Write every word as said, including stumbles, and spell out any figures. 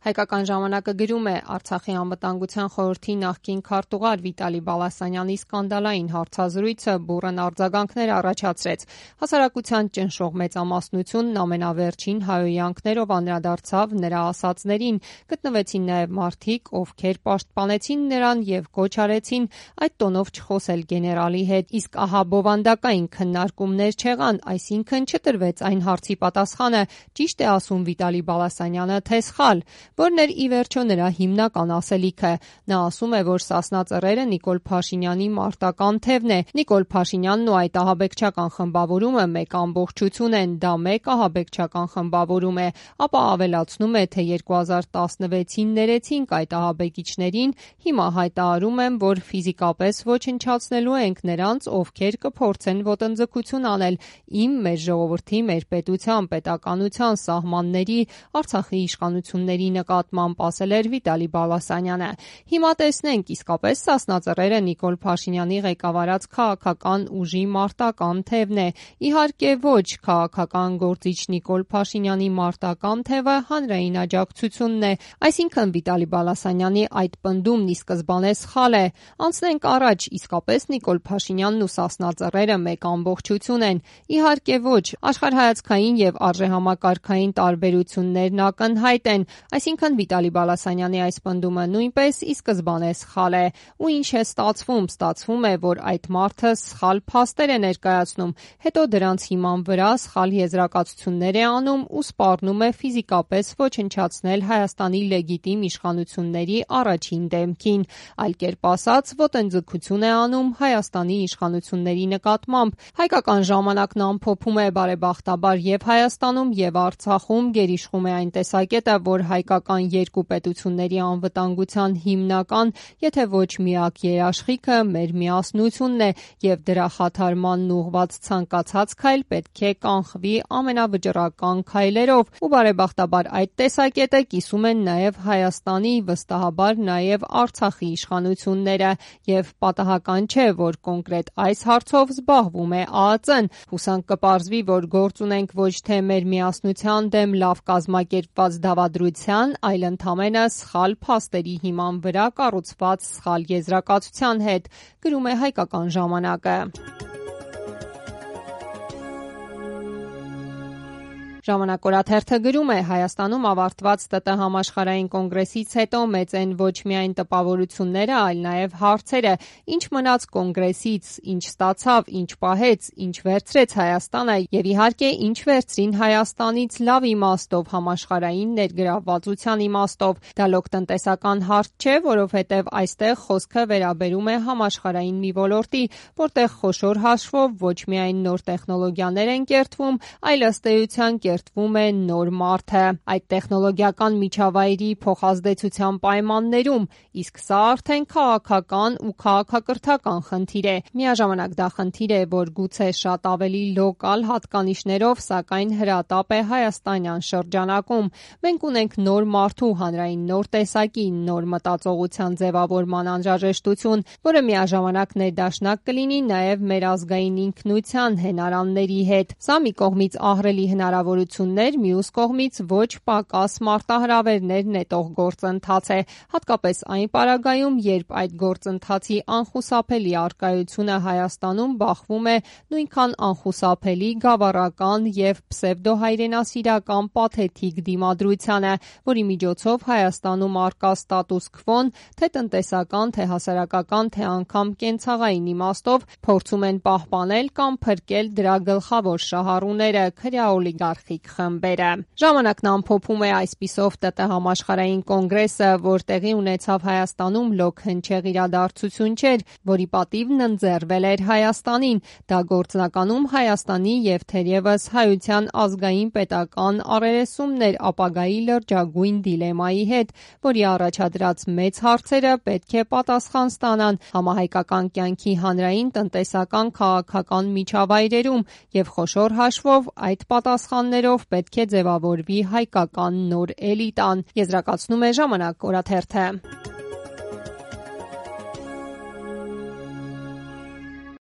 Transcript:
Հայկական ժամանակը գրում է Արցախի անվտանգության խորհրդի նախկին քարտուղար Վիտալի Բալասանյանի սկանդալային հարցազրույցը բուռն արձագանքներ առաջացրեց։ Հասարակության ճնշող մեծամասնությունն ամենավերջին հայհոյանքներով անդրադարձավ նրա ասածներին, գտնվեցին նաև մարդիկ, ովքեր պաշտպանեցին նրան եւ կոչ արեցին այդ տոնով չխոսել գեներալի հետ, իսկ ահա բովանդակային քննարկումներ չեղան, այսինքն չտրվեց այն հարցի պատասխանը՝ ճիշտ է ասում Վիտալի Բալասանյանը, թե սխալ, որն էր ի վերջո նրա հիմնական ասելիքը։ Նա ասում է, որ Սասնա Ծռերը Նիկոլ Փաշինյանի մարտական թևն է։ Նիկոլ Փաշինյանն ու այդ ահաբեկչական խմբավորումը մեկ ամբողջություն են, դա մեկ ահաբեկչական խմբավորում է, ապա ավելացնում է, թե երկու հազար տասնվեցին ներեցինք այդ ահաբեկիչներին, հիմա հայտարարում եմ, որ ֆիզիկապես ոչնչացնելու ենք նրանց, ովքեր կփորձեն ոտնձգություն անել իմ, մեր ժողովրդի, մեր պետության, պետականության սահմանների, Արցախի իշխանությունների նկատմամբ, ասել էր Վիտալի Բալասանյանը։ Հիմա տեսնենք, իսկապես Սասնա Ծռերը Նիկոլ Փաշինյանի ղեկավարած քաղաքական ուժի մարտական թևն է։ Իհարկե ոչ, քաղաքական գործիչ Նիկոլ Փաշինյանի մարտական թևը հանրային աջակցությունն է, այսինքն Վիտալի Բալասանյանի այդ պնդումն ի սկզբանե սխալ է։ Անցնենք առաջ, իսկապես Նիկոլ Փաշինյանն ու Սասնա Ծռերը մեկ ամբողջություն են։ Իհարկե ոչ, աշխարհայացքային եւ արժեհամակարգային տարբերություններն ակնհայտ են, այսինքն Վիտալի Բալասանյանի այս պնդումը նույնպես ի սկզբանե սխալ է։ Ու ինչ է ստացվում, ստացվում է, որ այդ մարդը սխալ փաստեր է ներկայացնում, հետո դրանց հիման վրա սխալ եզրակացություններ է անում ու սպառնում է ֆիզիկապես ոչնչացնել Հայաստանի լեգիտիմ իշխանությունների առաջին դեմքին, այլ կերպ ասած, ոտնձգություն է անում Հայաստանի իշխանությունների նկատմամբ։ Հայկական ժամանակն ամփոփում է բարեբախտաբար եւ Հայաստանում եւ Արցախում գերիշխում է այն տեսակետը, որ հայկական երկու պետությունների անվտանգության հիմնական, եթե ոչ միակ երաշխիքը մեր միասնությունն է եւ դրա խաթարմանն ուղղված ցանկացած քայլ պետք է կանխվի ամենավճռական քայլերով, ու բարեբախտաբար այդ տեսակետը կիսում են նաեւ Հայաստանի, վստահաբար նաեւ Արցախի իշխանությունները, եւ պատահական չէ, որ կոնկրետ այս հարցով զբաղվում է Ա Ծ Ն։ Հուսանք կպարզվի, որ գործ ունենք ոչ թե մեր միասնության դեմ լավ կազմակերպված դավադրության, այլ ընդամենը սխալ փաստերի հիման վրա կառուցված սխալ եզրակացության հետ, գրում է Հայկական ժամանակը։ Ժամանակ օրաթերթը գրում է. Հայաստանում ավարտված Տ Տ համաշխարհային կոնգրեսից հետո մեծ են ոչ միայն տպավորությունները, այլ նաև հարցերը, ինչ մնաց կոնգրեսից, ինչ ստացավ, ինչ պահեց, ինչ վերցրեց Հայաստանը եւ իհարկե ինչ վերցրին Հայաստանից լավ իմաստով, համաշխարհային ներգրավվածության իմաստով։ Դա լոկ տնտեսական հարց չէ, որովհետեւ այստեղ խոսքը վերաբերում է համաշխարհային մի ոլորտի, որտեղ խոշոր հաշվով ոչ միայն նոր տեխնոլոգիաներ են կերտվում, այլ ըստ էության կերտվում է նոր մարդը այդ տեխնոլոգիական միջավայրի փոխազդեցության պայմաններում, իսկ սա արդեն քաղաքական ու քաղաքակրթական խնդիր է։ Միաժամանակ դա խնդիր է, որ գուցե շատ ավելի լոկալ հատկանիշներով, սակայն հրատապ է հայաստանյան շրջանակում։ Մենք ունենք նոր մարդու հանրային նոր տեսակի, նոր մտածողության ձևավորման անհրաժեշտություն, որը միաժամանակ ներդաշնակ կլինի նաև մեր ազգային ինքնության հենարանների հետ։ Սա մի կողմից ահռելի հնարավորություններ, մյուս կողմից ոչ պակաս մարտահրավերներ նետող գործընթաց է, հատկապես այն պարագայում, երբ այդ գործընթացի անխուսափելի առկայությունը Հայաստանում բախվում է նույնքան անխուսափելի գավառական եւ պսևդոհայրենասիրական պաթետիկ դիմադրությանը, որի միջոցով Հայաստանում առկա ստատուս քվոն, թե տնտեսական, թե հասարակական, թե անգամ կենցաղային իմաստով փորձում են պահպանել կամ փրկել դրա գլխավոր շահառուները՝ քրեաօլիգարխիկ խմբերը։ Ժամանակն ամփոփում է այսպիսով Տ Տ համաշխարհային կոնգրեսը, որ տեղի ունեցավ Հայաստանում լոկ հնչեղ իրադարձություն չէր, որի պատիվն ընձեռվել էր Հայաստանին։ Դա գործնականում Հայաստանի եւ թերևս հայության ազգային պետական առերեսումներ ապագայի լրջագույն դիլեմայի հետ, որի առաջադրած մեծ հարցերը պետք է պատասխան ստանան համահայկական կյանքի հանրային, տնտեսական, քաղաքական միջավայրերում եւ խոշոր հաշվով այդ պատասխաններով պետք է ձևավորվի հայկական նոր էլիտան, եզրակացնում է Ժամանակ օրաթերթը։